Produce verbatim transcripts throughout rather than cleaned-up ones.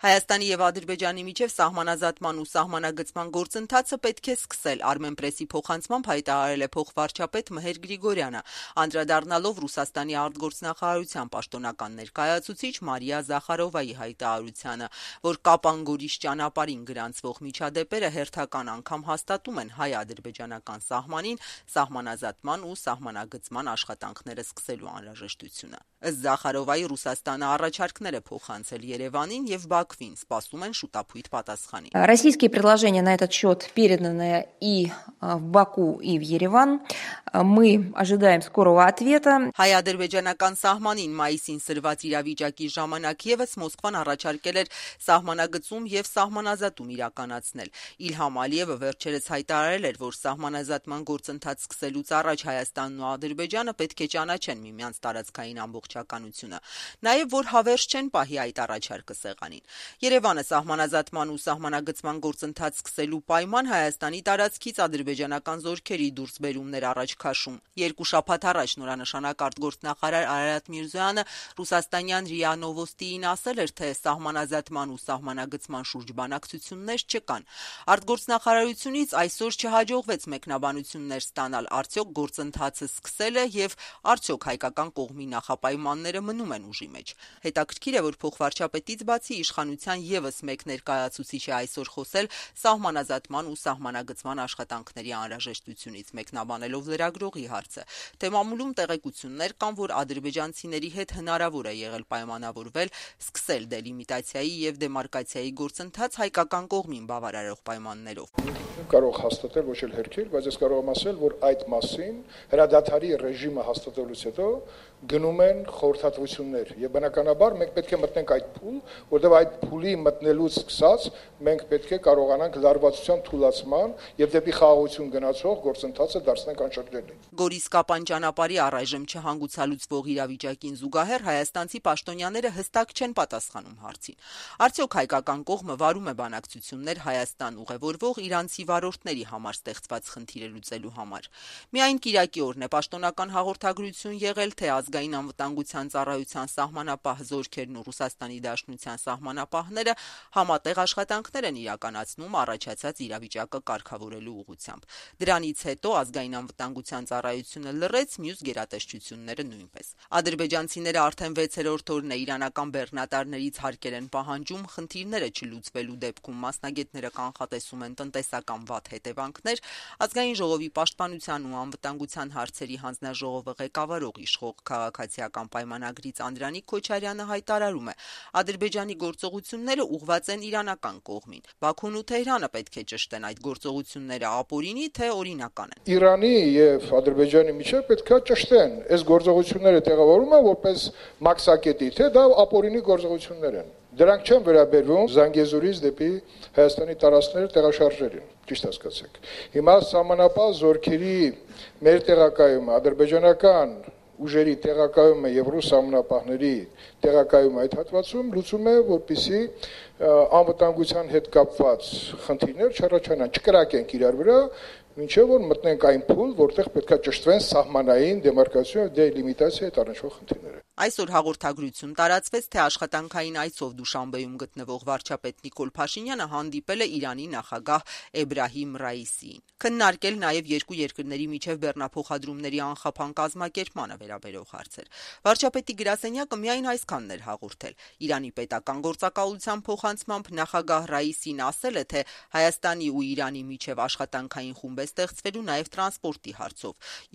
Հայաստանի եւ Ադրբեջանի միջև սահմանազատման ու սահմանագծման գործընթացը պետք է սկսել, Armenpress-ի փոխանցմամբ հայտարարել է փոխվարչապետ Մհեր Գրիգորյանը, անդրադառնալով Ռուսաստանի արտգործնախարարության պաշտոնական ներկայացուցիչ Մարիա Զախարովայի հայտարարությանը, որ Կապան-Գորիս ճանապարհին գրանցվող միջադեպերը հերթական անգամ հաստատում են հայ-ադրբեջանական սահմանին սահմանազատման ու սահմանագծման աշխատանքները սկսելու անհրաժեշտությունը։ Ըստ Զախարովայի, Ռուսաստանը առաջարկներ է փոխանցել Երևանին եւ Բաքվին, սպասում են շուտապույտ պատասխանի։ Российские предложения на этот счет переданы и в Баку, и в Ереван. Мы ожидаем скорого ответа. Հայ-ադրբեջանական սահմանին մայիսին սրված իրավիճակի ժամանակ եւս Մոսկվան առաջարկել էր սահմանագծում եւ սահմանազատում իրականացնել։ Իլհամ Ալիևը վերջերս հայտարարել էր, որ սահմանազատման գործընթաց սկսելուց առաջ Հայաստանն ու Ադրբեջանը պետք է ճանաչեն միմյանց տարածքային ամբողջականությունը, նաեւ որ հավերժ չեն պահի այդ առաջարկը սեղանին։ Երևանը սահմանազատման ու սահմանագծման գործընթաց սկսելու պայման Հայաստանի տարածքից ադրբեջանական զորքերի դուրսբերումներ առաջ քաշում։ Երկու շաբաթ առաջ նորանշանակ արտգործնախարար Արարատ Միրզոյանը ռուսաստանյան ՌԻԱ Նովոստիին ասել էր, թե սահմանազատման ու սահմանագծման շուրջ բանակցություններ չկան։ Արտգործնախարարությունից այսօր չհաջողվեց մեկնաբանություններ ստանալ, արդյոք գործընթացը սկսել է եւ արդյոք հայկական կողմի նախապայմանները մնում են ուժի մեջ։ Հետաքրքիր է, որ փոխվարչապետից բացի իշխանության եւս մեկ ներկայացուցիչ է այսօր խոսել սահմանազատման ու սահմանագծման աշխատանքների անհրաժեշտությունից, մեկնաբանելով լրագրողի հարցը, թե մամուլում տեղեկություններ կան, որ ադրբեջանցիների հետ հնարավոր է եղել պայմանավորվել սկսել դելիմիտացիայի եւ դեմարկացիայի գործընթաց հայկական կողմին բավարարող պայմաններով։ Կարող հաստատել ոչ էլ հերքել, բայց ես կարող եմ ասել, որ այդ մասին հրադադարի ռեժիմը հաստատելուց հետո գնում են խորհրդատվություններ եւ բնականաբար մենք պետք է մտնենք այդ փուլ, որտեղ այդ փուլի մտնելուց սկսած մենք պետք է կարողանանք լարվածության թուլացման եւ դեպի խաղաղություն գնացող գործընթացը դարձնենք անշրջելի։ Գորիս-Կապան ճանապարհի առայժմ չհանգուցալուծվող իրավիճակին զուգահեռ հայաստանցի պաշտոնյաները հստակ չեն պատասխանում հարցին։ Արդյոք հայկական կողմը վարում է բանակցություններ Հայաստան ուղևորվող իրանցի վարորդների համար ստեղծված խնդիրը լուծելու համար։ Միայն կիրակի օրն է պաշտոնական հաղորդագրություն եղել, թե ազգային անվտանգության ծառայության սահմանապահ զորքերն ու Ռուսաստանի Դաշնության սահմանապահները համատեղ աշխատանքներ են իրականացնում առաջացած իրավիճակը կարգավորելու ուղղությամբ։ Դրանից հետո ազգային անվտանգության ծառայությունը լռեց, մյուս գերատեսչությունները նույնպես։ Ադրբեջանցիները արդեն վեցերորդ օրն է իրանական բեռնատարներից հարկեր են պահանջում խնդիրները չլուծվելու դեպքում մասնագետները կանխատեսում են տնտեսական վատ հետևանքներ։ Ազգային ժողովի պաշտպանության ու անվտանգության հարցերի հանձնաժողովը ղեկավարող իշխող քաղաքացիական պայմանագրից Անդրանիկ Քոչարյանը հայտարարում է. Ադրբեջանի գործողությունները ուղղված են իրանական կողմին։ Բաքուն ու Թեհրանը պետք է ճշտեն այդ գործողությունները ապօրինի թե օրինական են։ Իրանի եւ Ադրբեջանի միջեւ պետք է ճշտեն։ Այս գործողությունները տեղավորում են որպես մաքսակետի, թե դա ապօրինի գործողություններ են։ Դրանք չեն վերաբերվում Զանգեզուրից դեպի Հայաստանի տարածքները տեղաշարժերին, ճիշտ հասկացեք։ Հիմա սահմանապահ զորքերի մեր տեղակայումը ադրբեջանական ուժերի տեղակայումը եւ ռուս սահմանապահների տեղակայումը այդ հատվածում լուծում է, որպեսզի անվտանգության հետ կապված խնդիրներ չառաջանան, չկրակենք իրար վրա, մինչեւ որ մտնենք այն փուլ, որտեղ պետքա ճշտվեն սահմանային դեմարկացիա եւ դելիմիտացիա հետ առնչվող խնդիրները։ Այսօր հաղորդագրություն տարածվեց, թե աշխատանքային այցով Դուշանբեում գտնվող վարչապետ Նիկոլ Փաշինյանը հանդիպել է Իրանի նախագահ Էբրահիմ Ռայիսիին։ Քննարկել նաև երկու երկրների միջև բեռնափոխադրումների անխափան կազմակերպմանը վերաբերող հարցեր։ Վարչապետի գրասենյակը միայն այսքանն էր հաղորդել։ Իրանի պետական գործակալության փոխանցմամբ նախագահ Ռայիսին ասել է, թե Հայաստանի ու Իրանի միջև աշխատանքային խումբ է ստեղծվելու նաև տրանսպորտի հարցով,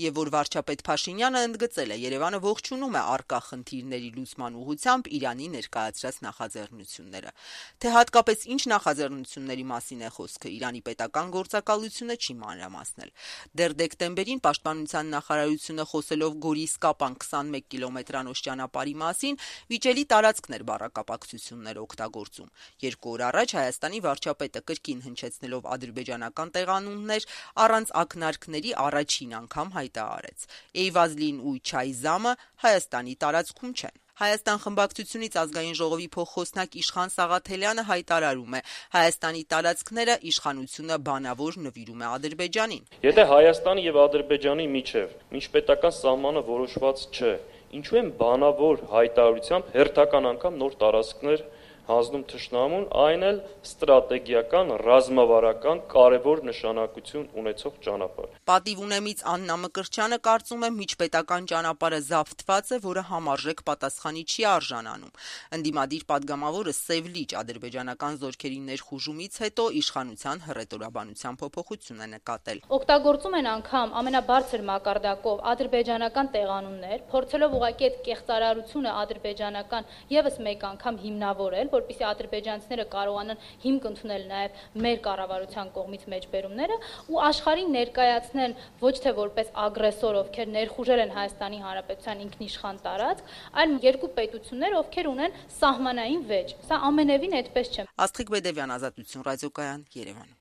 եւ որ վարչապետ Փաշինյանը ընդգծել է Երևանը ողջունում է արկա խնդիրների լուծման ուղղությամբ Իրանի ներկայացրած նախաձեռնությունները։ Թե հատկապես ինչ նախաձեռնությունների մասին է խոսքը, Իրանի պետական գործակալությունը չի մանրամասնել։ Դեռ դեկտեմբերին պաշտպանության նախարարությունը խոսելով Գորիս-Կապան քսանմեկ կիլոմետրանոց ճանապարհի մասին վիճելի տարածքներ բառակապակցություններ օգտագործում։ Երկու օր առաջ Հայաստանի վարչապետը կրկին հնչեցնելով ադրբեջանական տեղանուններ առանց ակնարկների առաջին անգամ հայտարարեց. Էյվազլին ու Չայզամը Հայաստանի տարածքում չեն։ Հայաստան խմբակցությունից ազգային ժողովի փոխխոսնակ Իշխան Սաղաթելյանը հայտարարում է. Հայաստանի տարածքները իշխանությունը բանավոր նվիրում է Ադրբեջանին։ Եթե Հայաստանի եւ Ադրբեջանի միջև միջպետական սահմանը որոշված չէ, ինչու են բանավոր հայտարարությամբ հերթական անգամ նոր տարածքներ հանձնում թշնամուն, այն էլ ստրատեգիական, ռազմավարական կարևոր նշանակություն ունեցող ճանապարհ։ Պատիվ ունեմից Աննա Մկրտչյանը կարծում է միջպետական ճանապարհը զավթված է, որը համարժեք պատասխանի չի արժանանում։ Ընդդիմադիր падգամավորը Սև լիճ ադրբեջանական զորքերի ներխուժումից հետո իշխանության հռետորաբանության փոփոխություն է նկատել։ Օգտագործում են անգամ ամենաբարձր մակարդակով ադրբեջանական տեղանուններ, փորձելով ուղղակի այդ կեղծարարությունը ադրբեջանական եւս մեկ անգամ հիմնավորել, որպեսզի ադրբեջանցիները կարողանան հիմք ընդունել նաեւ մեր կառավարության կողմից մեջբերումները ու աշխարհին ներկայացնեն ոչ թե որպես ագրեսոր, ովքեր ներխուժել են Հայաստանի Հանրապետության ինքնիշխան տարածք, այլ երկու պետություններ, ովքեր ունեն սահմանային վեճ։ Սա ամենևին այդպես չէ։ Աստղիկ Բեդևյան, Ազատություն ռադիոկայան, Երևան։